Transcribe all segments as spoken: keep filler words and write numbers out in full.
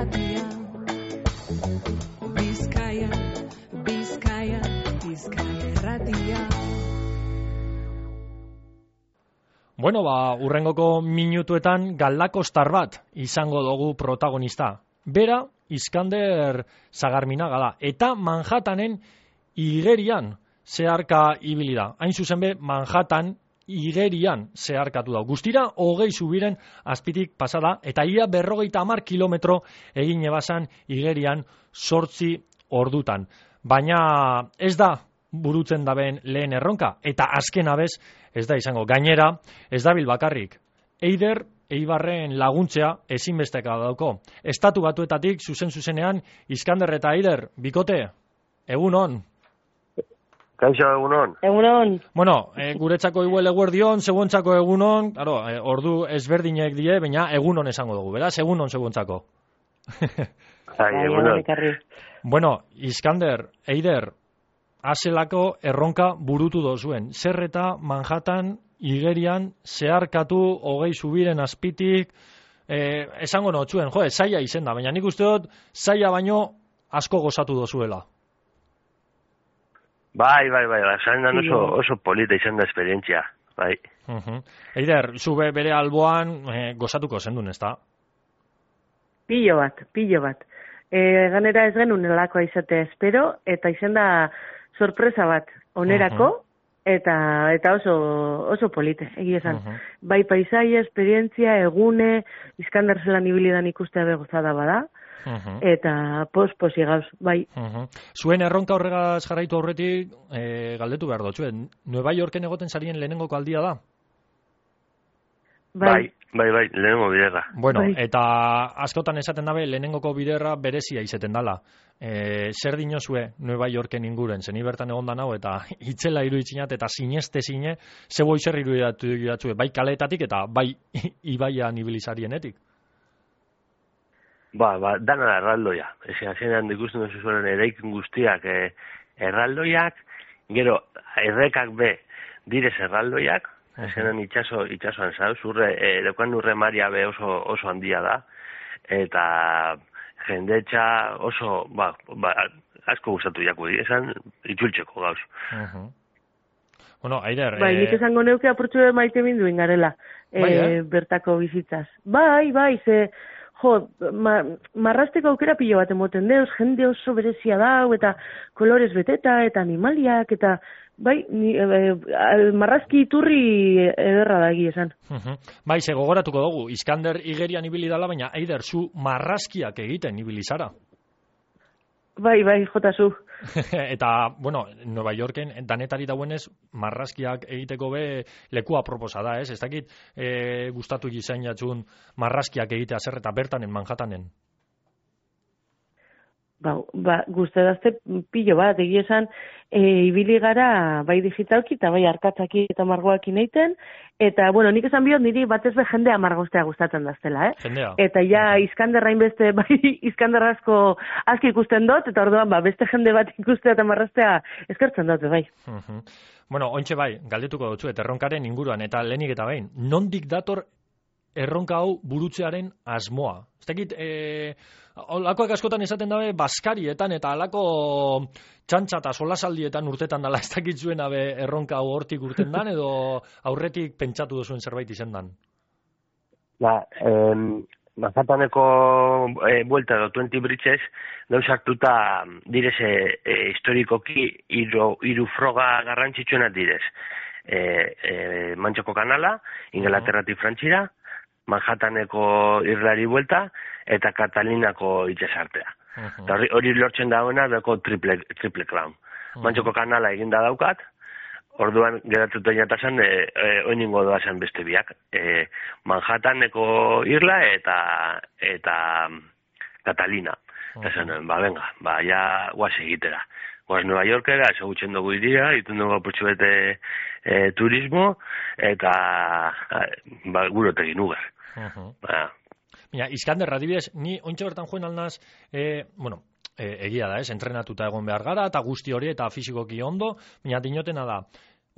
Irratia. Bizkaia, Bizkaia, Bizkaia Irratia. Bueno, ba, urrengoko minutuetan galdakostar bat izango dugu protagonista. Bera, Iskander Sagarminaga da. Eta Manhattanen igerian zeharka ibili da. Hain zuzen be, Manhattan igerian zeharkatu da. Guztira, hogei zubiren azpitik pasada, eta ia berrogeita hamar kilometro egin ebazan igerian sortzi ordutan. Baina ez da burutzen daben lehen erronka, eta azken abez ez da izango. Gainera, ez dabil bakarrik. Eider Eibarren laguntzea ezinbesteka dauko. Estatu Batuetatik zuzen-zuzenean Iskander eta Eider, bikote, egun on. Kaixo, egun on. Egun on. Bueno, e, guretzako igual eguerdion, seguontzako egun on, claro, e, ordu ezberdinek die, baina egun on esango dugu, beraz, egun on seguontzako. Ai, egun on. Bueno, Iskander, Eider, azelako erronka burutu dozuen. Zer eta Manhattan igerian zeharkatu hogei zubiren azpitik, eh, esango notzuen, jo, zaila izen da, baina nik uste dut zaila baino asko gozatu dozuela. Bai, bai, bai, esan da oso, oso polita izan da esperientzia, bai. Uh-huh. Eider, zube bere alboan eh, gozatuko zendun, ez da? Pillo bat, pillo bat. E, ganera ez genuen elakoa izatea espero, eta izan da sorpresa bat onerako, uh-huh. eta eta oso oso polite, egia esan. Uh-huh. Bai paisaia, esperientzia, egune, Iskander zelan ibilidan ikustea begozada bada, uh-huh. eta pos-posi gauz, bai. Uh-huh. Zuen erronka horregaz jarraitu aurretik, e, galdetu behar dotzuen, Nueva Yorken egoten zarien lehenengoko aldia da? Bai, bai, bai, lehenengo biderra. Bueno, bai. Eta askotan esaten dabe, lehenengoko biderra berezia izeten dala. E, zer dinozue Nueva Yorken inguren, zeni bertan egon da nau, eta itzela iruitzinat, eta sineste zine, zebo izer irudiatu datzue, bai kaleetatik eta bai ibaian ibilizarienetik. Ba, ba, dana da erraldoia. Ezin, azenean ikusten duzu zuen eraikin guztiak eh, erraldoiak, gero, errekak be, direz erraldoiak, azenean itxaso, itxasoan zauz, urre, eh, lekuan urre maria be oso, oso handia da, eta jendetxa oso, ba, ba, asko gustatu jaku, esan itxultzeko gauz. Uh-huh. Bueno, Eider... Bai, nik esango neuke apurtxu maite minduen garela, bai, e, eh? bertako bizitzaz. Bai, bai, ze, jo, ma, marrasteko aukera pilo bat emoten deuz, jende oso berezia dau, eta kolorez beteta, eta animaliak, eta bai, ni, e, e, marrazki iturri ederra da egia esan. Uh-huh. Bai, ze gogoratuko dugu, Iskander igerian ibili dala, baina Eider, zu marrazkiak egiten ibili zara. Bai, bai, jota zu. Eta, bueno, Nueva Yorken danetari dauenez marrazkiak egiteko be lekua proposa da, ez? Ez dakit e, gustatu gizain jatxun marrazkiak egitea zer eta bertanen Manhattanen. Ba, ba guztedazte pilo bat, egia esan, e, ibili gara bai digitalki eta bai arkatzaki eta margoakin eiten, eta, bueno, nik esan biot niri batez be jendea margoztea gustatzen daztela, eh? Jendea. Eta ja, Iskander hainbeste, bai, Iskander asko aski ikusten dut, eta orduan, ba, beste jende bat ikustea eta marraztea eskertzen dut, bai. Uh-huh. Bueno, ointxe bai, galdetuko dutzu, eta erronkaren inguruan, eta lehenik eta behin, nondik dator erronka hau burutzearen asmoa? Ez dakit, e, olakoak askotan esaten dabe, baskarietan eta alako txantxa eta solasaldietan urtetan dala, ez dakit zuen abe erronka hau hortik urten dan, edo aurretik pentsatu duzuen zerbait izen dan? Ba, eh, Manhattaneko eh, buelta edo twenty bridges, dauz hartuta direz eh, historikoki iru, iru froga garrantzitsuenak direz. Eh, eh, Mantxoko kanala, Inglaterratik Frantxira, Manhattaneko irlari buelta, eta Katalinako itxasartea. Uh-huh. Hori, hori lortzen dagoena dako triple, triple crown. Uh-huh. Mantxoko kanala eginda daukat, orduan geratuta jatazan, e, e, oiningo doazan beste biak. E, Manhattaneko irla eta eta Catalina. Uh-huh. Eta zen, ba, venga, ba, ja guaz egitera. Guaz Nueva Yorkera, ezagutzen dugu iria, itun dugu apurtxu bete e, turismo, eta ba, gurotegin ugar. Uh-huh. Ba. Mira, Iskander, adibidez, ni ointxe bertan joen alnaz, e, bueno, e, egia da, ez, entrenatuta egon behar gara, eta guzti hori, eta fisikoki ondo, baina dinotena da,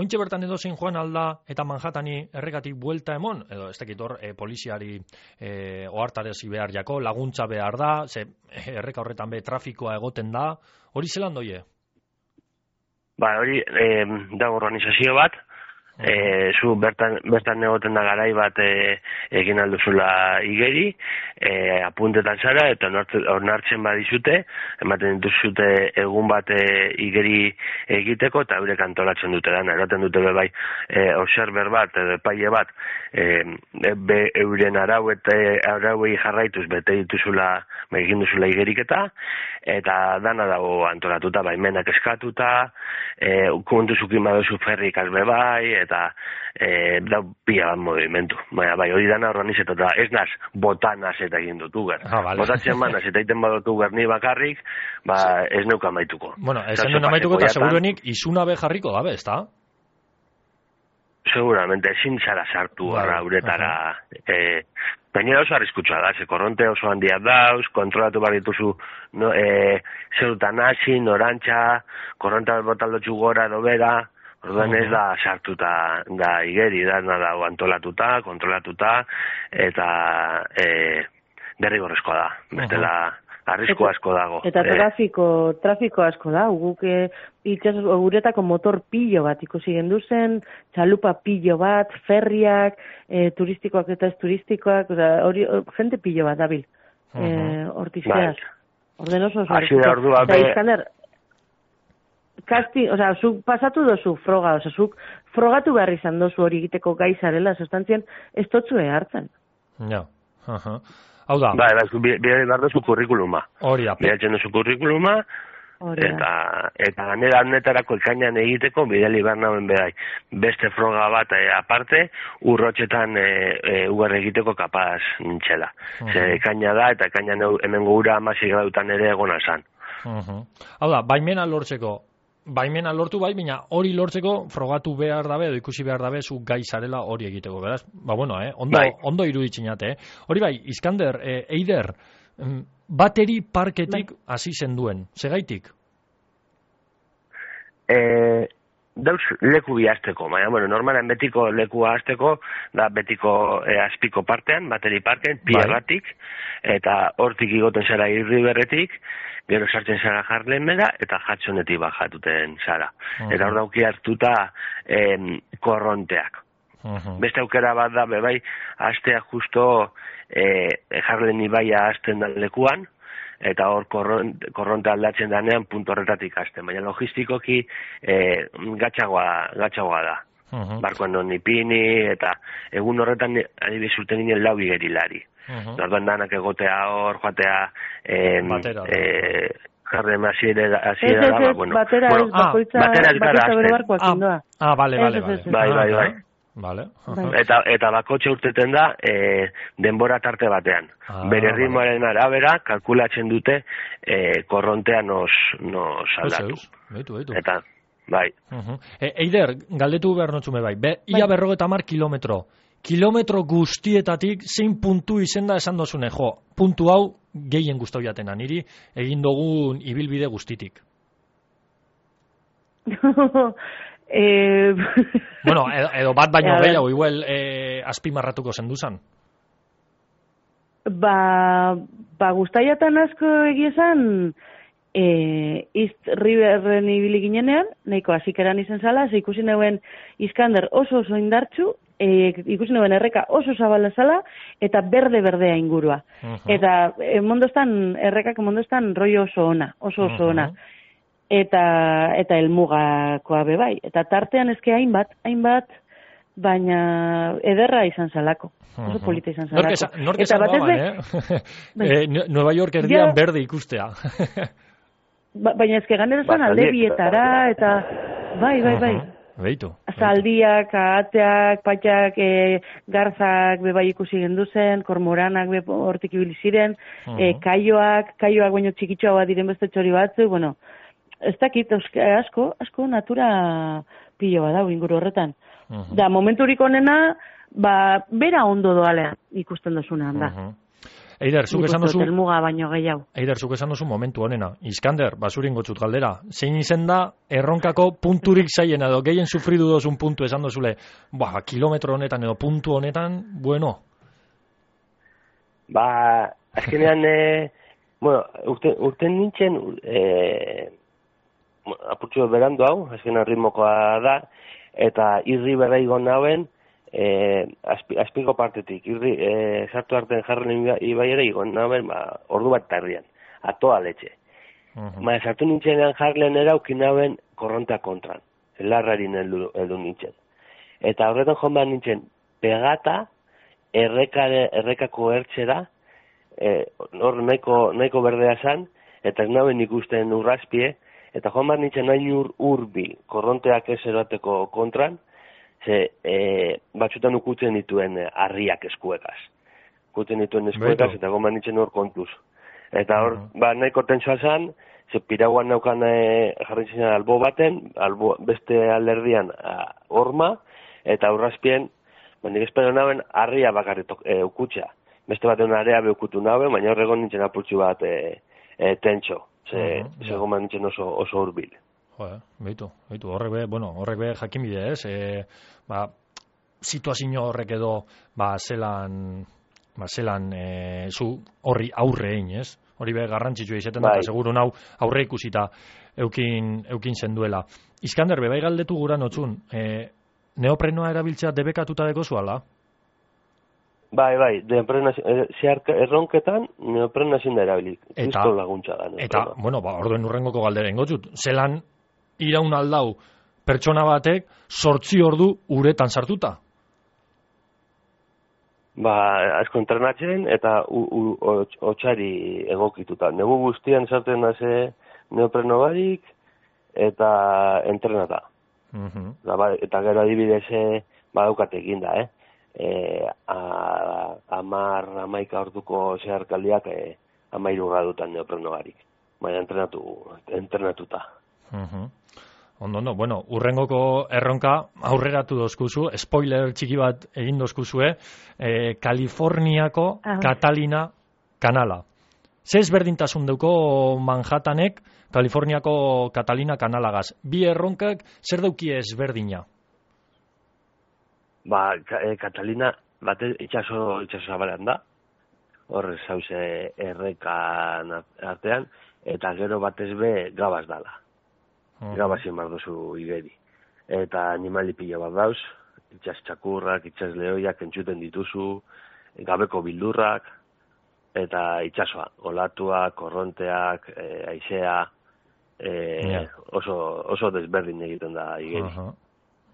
ointxe bertan edo zein joan alda eta Manhattani errekatik buelta emon, edo ez dakit hor e, poliziari e, ohartarezi behar jako, laguntza behar da, ze erreka horretan be trafikoa egoten da, hori zelan doie? Ba, hori e, da organizazio bat, E, zu bertan, bertan egoten da garai bat e, egin alduzula igeri, e, apuntetan zara eta onartzen badizute, ematen dituzute egun bat e, igeri egiteko eta eurek antolatzen dute dana, eroten dute bebai e, observer bat edo epaile bat e, be euren arau eta arauei jarraituz bete dituzula egin duzula igeriketa eta dana dago antolatuta, baimenak eskatuta, e, kontuzukin baduzu ferrikaz bebai, eta e, da pila bat movimentu. Baina, bai, hori dana organizatuta, ez naz, botanaz eta egin dut uger. Ah, vale. Botatzen manaz eta egiten badut uger ni bakarrik, ba, sí. Ez neuka amaituko. Bueno, ez duen amaituko eta seguruenik izuna be jarriko dabe, ez da? Seguramente, ezin zara sartu Vale. Arra uretara. Eh, Gainera oso arriskutsua da, ze korronte oso handia dauz, kontrolatu behar dituzu no, e, zerutan hasi, norantxa, korronte botaldotxu gora edo bera, orduan ez da sartuta da igeri, da dago antolatuta, kontrolatuta, eta e, derrigorrezkoa da, bestela arrisko asko dago. Eta trafiko, trafiko asko da, guk e, itxas uretako motor pillo bat ikusi genduzen, txalupa pillo bat, ferriak, e, turistikoak eta ez turistikoak, oza, hori, jente pillo bat dabil, uh-huh. e, hortizkeaz. Orden oso oso. Asi da ordua be... Izkander, kasti, oza, zuk pasatu dozu froga, oza, zuk frogatu behar izan dozu hori egiteko gai zarela, sustantzien ez totzue hartzen. Ja, aha. Hau da. Bai, bai, bide behar duzu kurrikuluma. Hori da. Bidatzen duzu kurrikuluma, eta, eta ganera honetarako ekainan egiteko bideli behar nauen behar. Beste froga bat e, aparte, urrotxetan e, e, ugar egiteko kapaz nintxela. Uh-huh. Ze ekaina da, eta ekainan hemen gura amasik grautan ere egona zan. Uh-huh. Hau da, baimena lortzeko, baimena lortu bai, baina hori lortzeko frogatu behar dabe, edo ikusi behar dabe, zu gai zarela hori egiteko, beraz? Ba, bueno, eh? Ondo, bai. Ondo iruditzinate, eh? Hori bai, Iskander, eh, Eider, bateri parketik hasi zen duen, segaitik? Eh, dauz leku bihazteko, baina, bueno, normalan betiko lekua hasteko, da betiko eh, azpiko partean, bateri parken, piagatik, eta hortik igoten zara irri berretik, gero sartzen zara jarlemera, eta jatzonetik bajatuten zara. Uh-huh. Eta hor dauki hartuta eh, korronteak. Uh-huh. Beste aukera bat da, bebai, hastea justo eh, jarlen ibaia hasten da lekuan, eta hor korronte, korronte aldatzen danean puntu horretatik hasten. Baina logistikoki eh, gatxagoa, gatxagoa da. Uh-huh. Barkoan non ipini, eta egun horretan adibidez urten ginen lau igerilari. Uh-huh. Orduan danak egotea hor, joatea eh, batera, eh, jarren hasiera hasiera da, bueno. Batera bueno, ez, bakoitza, ah, bakoitza bere barkoak ah, indoa. Ah, bale, bale, bale. Bai, bai, bai. Vale. Uh-huh. Eta, eta bakotxe urteten da e, denbora tarte batean. Ah, bere ritmoaren vale. Arabera, kalkulatzen dute e, korrontea nos, nos aldatu. Beitu, beitu. Eta, bai. Uh-huh. E, Eider, galdetu behar notzume bai. Be, ia bai. Berrogeta mar kilometro. Kilometro guztietatik zein puntu izenda esan dozune, jo, puntu hau gehien gustau jatena, niri egin dugun ibilbide guztitik. eh... bueno, edo, edo bat baino gehiago, igual eh, azpimarratuko zenduzan. Ba, ba guztaiatan asko egiezan, eh, East Riverren ibili ginenean, nahiko hasikeran izen zala, ze ikusi neuen Iskander oso oso indartsu, E, ikusi nuen erreka oso zabala zala, eta berde-berdea ingurua. Uh-huh. Eta e, mondostan, errekak mondostan rollo oso ona, oso oso ona. Uh-huh. Eta, eta elmugakoa bebai. Eta tartean ezke hainbat, hainbat, baina ederra izan zalako. Oso uh-huh. polita izan zalako. Nork esan guaban, eh? eh? Nueva York erdian ja, berde ikustea. ba, baina ezke ganera zan alde bietara, eta bai, bai, bai. Uh-huh. Beitu. Zaldiak, ahateak, patxak, e, garzak bebai ikusi genduzen, kormoranak be hortik ibili ziren, uh-huh. e, kaioak, kaioak baino txikitxoa diren beste txori batzu, bueno, ez dakit, asko, asko natura pilo bat da, inguru horretan. Uh-huh. Da, momenturik onena, ba, bera ondo doalean ikusten dozunean da. Uh-huh. Eider, zuk esan duzu... Helmuga baino gehiago. Eider, zuk esan duzu momentu honena. Iskander, basurin gotxut galdera. Zein izen da erronkako punturik zaien edo gehien sufridu dozun puntu esan dozule, ba, kilometro honetan edo puntu honetan, bueno. Ba, azkenean, e, bueno, urte, urte nintzen, e, apurtxo berandu hau, azkenean ritmokoa da, eta irri berraigo nauen, e, azpi, azpiko partetik, irri, e, sartu artean jarren ibaiera igon nauen, ba, ordu bat tarrian, atoa letxe. Uh-huh. Ba, sartu nintzenean jarlen eraukin nauen korrontea kontran, larrarin heldu, heldu nintzen. Eta horretan joan behar nintzen, pegata, errekare, errekako ertxera, hor e, nahiko, nahiko berdea zan, eta ez nauen ikusten urrazpie, eta joan behar nintzen nahi ur, urbil, korronteak ez erateko kontran, ze e, batzutan ukutzen dituen harriak eskuekaz. Ukutzen dituen eskuekaz, eta joan behar nintzen hor kontuz. Eta hor, uh-huh. ba, nahiko tentsoa zan, ze piraguan naukan e, jarritzen albo baten, albo, beste alderdian a, horma, eta urrazpien, ba, nik espero nauen harria bakarritok e, ukutxa. Beste baten area beukutu nauen, baina horregon nintzen apurtxu bat e, e, tentso. Ze, uh-huh, ze goma nintzen oso, oso urbil. Joder, behitu, behitu, horrek be, bueno, horrek be jakinbide ez, e, ba, situazio horrek edo, ba, zelan, ba, zelan, e, zu horri aurre egin, ez? Hori be garrantzitsua izaten da, seguru nau aurre ikusita eukin, eukin zenduela. Iskander, bebai galdetu gura notzun, e, neoprenoa erabiltzea debekatuta deko zuala? Bai, bai, neoprena, zeharka erronketan neoprena ezin da erabilik. Eta, laguntza da, eta, bueno, ba, orduen urrengoko galdera ingotzut. Zelan iraun aldau pertsona batek sortzi ordu uretan sartuta? Ba, asko entrenatzen eta hotxari egokituta. Negu guztian sartzen da ze neopreno barik eta entrenata. Uh-huh. Da, ba, eta gero adibidez badaukat egin da, eh? E, a, amar, amaika orduko zeharkaldiak e, amairu gradutan neopreno barik. Baina entrenatu, entrenatuta. Uh-huh. Ondo, ondo, bueno, urrengoko erronka aurreratu dozkuzu, spoiler txiki bat egin dozkuzue, eh, Kaliforniako ah. Catalina kanala. Ze ezberdintasun deuko Manhattanek Kaliforniako Catalina kanalagaz? Bi erronkak zer daukie ezberdina? Ba, e, Catalina bate itxaso, itxaso zabalean da, horre zauze errekan artean, eta gero batez be gabaz dala. Uh-huh. Gabazien bar duzu igeri. Eta animali pila bat dauz, itxas txakurrak, itxas lehoiak entzuten dituzu, gabeko bildurrak, eta itxasoa, olatuak, korronteak, e, aizea, e, yeah. oso, oso desberdin egiten da igeri. Uh-huh.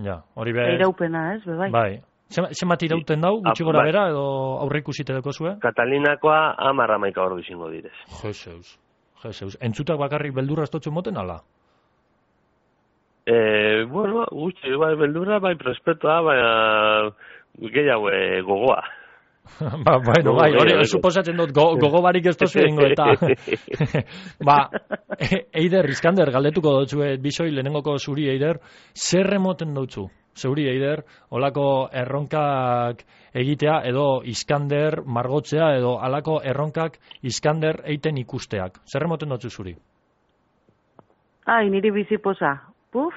Ja, hori be... Iraupena, ez, bebai. Bai. Zemat irauten dau, gutxi gora bera, edo aurre ikusite deko zue? Katalinakoa amarra maika ordu izango direz. Jeseus, jeseus. Entzutak bakarrik beldurra estotzen moten, ala? Eh, bueno, gutxi, bai, beldurra, bai, prespetoa, bai, gehiago e, gogoa. Ba, bueno, bai, hori, suposatzen dut, go, gogo barik ez tozu egingo, eta... ba, Eider, Iskander, galdetuko dutzu, bizoi, lehenengoko zuri, Eider, zer remoten dutzu? Zeuri, Eider, olako erronkak egitea, edo Iskander margotzea, edo alako erronkak Iskander eiten ikusteak. Zer remoten dutzu zuri? Ai, niri biziposa. Puf,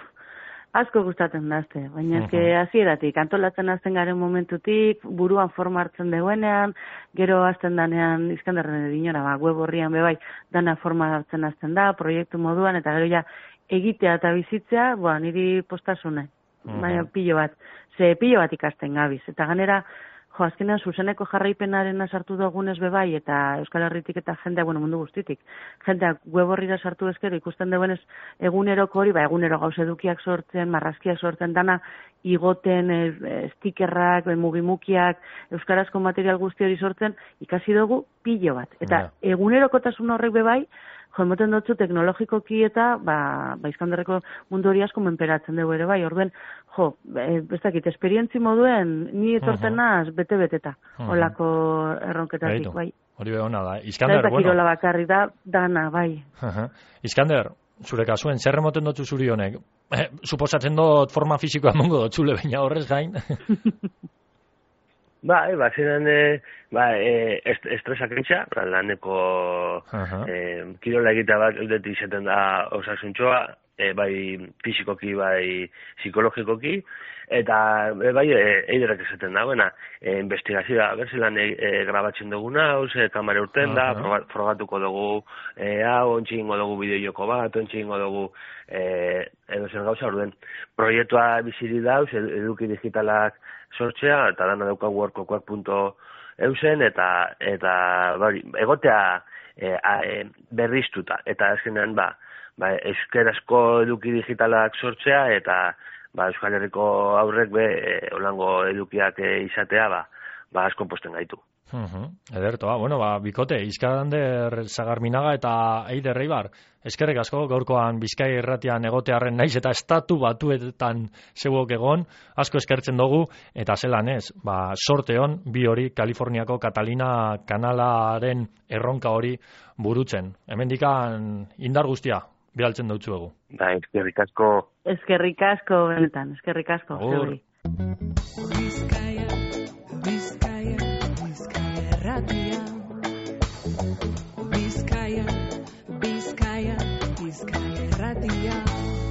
asko gustatzen dazte, baina eske hasieratik antolatzen hasten garen momentutik, buruan forma hartzen deguenean, gero hasten danean Iskanderren dinora, ba, web horrian bebai, dana forma hartzen hasten da, proiektu moduan, eta gero ja egitea eta bizitzea, ba, niri postasune, uh-huh. baina pilo bat, ze pilo bat ikasten gabiz, eta ganera, jo, azkenean zuzeneko jarraipenaren sartu dugunez bebai, eta Euskal Herritik eta jendea, bueno, mundu guztitik, jendeak web horrira sartu ezkero ikusten duenez eguneroko hori, ba, egunero gauz edukiak sortzen, marrazkiak sortzen, dana igoten, e, stikerrak, e, mugimukiak, euskarazko material guzti hori sortzen, ikasi dugu pilo bat. Eta yeah. egunerokotasun horrek bebai, jo, emoten dutzu teknologikoki eta, ba, ba Iskanderreko mundu hori asko menperatzen dugu ere bai, orduen, jo, e, ez dakit, esperientzi moduen, ni etorten naz, uh-huh. bete-beteta, uh-huh. olako erronketatik, bai. Hori behona da. Iskander, da, bueno. Kirola bakarri da, dana, bai. Uh-huh. Iskander, zure kasuen, zer remoten dutzu zuri honek? Eh, suposatzen dut forma fisikoa mongo dut zule, baina horrez gain. Bai, ba, ziren, e, ba, e, est, estresak entxa, ba, laneko Aha. e, kirola egitea bat eudetik izaten da osasuntxoa, e, bai fizikoki, bai psikologikoki, eta e, bai e, eiderak esaten da, buena, e, investigazioa, berzelan e, e, grabatzen duguna, hau, ze kamera urten da, Aha. proba, frogatuko dugu, e, hau, ontsi ingo dugu bideo-joko bat, ontsi ingo dugu, e, edo zer gauza, orduen, proiektua biziri dauz, eduki digitalak sortzea, eta dana daukagu workokoak punto eusen, eta, eta bari, egotea e, a, e, berriztuta, eta azkenean, ba, ba, euskerazko eduki digitalak sortzea, eta ba, Euskal Herriko aurrek be, e, olango edukiak e, izatea, ba, ba, asko posten gaitu. Uhum. Ederto, bueno, ba, bikote, Izkander Sagarminaga eta Eider Eibar, eskerrik asko gaurkoan Bizkai irratian egotearren naiz eta estatu batuetan zeuok egon, asko eskertzen dugu, eta zelan ez, ba, sorte hon, bi hori Kaliforniako Catalina kanalaren erronka hori burutzen. Hemendikan indar guztia, bidaltzen dutzuegu. Ba, eskerrik asko. Eskerrik asko, benetan, eskerrik asko. Agur. zeuri. Bizkaia, Bizkaia, Bizkaia erratia. Bizkaia, Bizkaia, Bizkaia erratia.